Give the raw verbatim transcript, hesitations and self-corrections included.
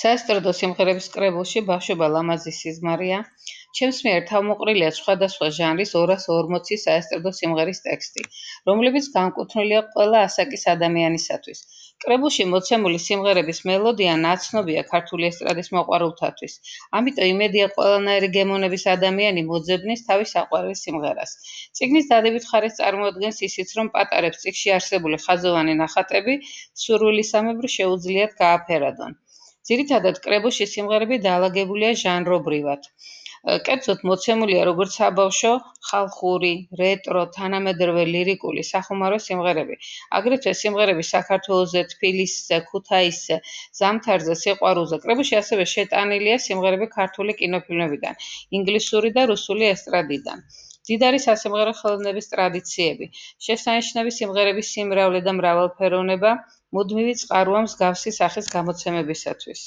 საესტრადო სიმღერების კრებულში ბავშვობა ლამაზი სიზმარია. ჩემს მიერ თავმოყრილია სხვადასხვა ჟანრის ორას ორმოცი საესტრადო სიმღერის ტექსტი, რომლებიც განკუთვნილია ყველა ასაკის ადამიანისათვის. კრებულში მოცემული სიმღერების მელოდია ნაცნობია ქართული ესტრადის მოყვარულთათვის. ამიტომ იმედია ყველანაირი გემოვნების ადამიანი მოძებნის თავის საყვარელ სიმღერას. წიგნის დადებით ხარეს წარმოადგენს ისიც, რომ პატარებს წიგნში არსებული ხაზოვანი ნახატები სურვილისამებრ შეუძლიათ გააფერადონ. ძირითადად კრებულში სიმღერები დაალაგებულია ჟანრობრივად. კერძოდ მოცემულია როგორც საბავშვო, ხალხური, რეტრო, თანამედროვე ლირიკული, სახუმარო სიმღერები. აგრეთვე სიმღერები საქართველოზე, თბილისზე, ქუთაისზე, ზამთარზე, სიყვარულზე. კრებულში ასევე შეტანილია სიმღერები ქართული კინოფილმებიდან, ინგლისური და რუსული ესტრადიდან. მდიდარი სასიმღერო ხელოვნების ტრადიციები, შესანიშნავი სიმღერების სიმრავლე და მრავალფეროვნება მუდმივი წყაროა მსგავსი სახის გამოცემებისათვის.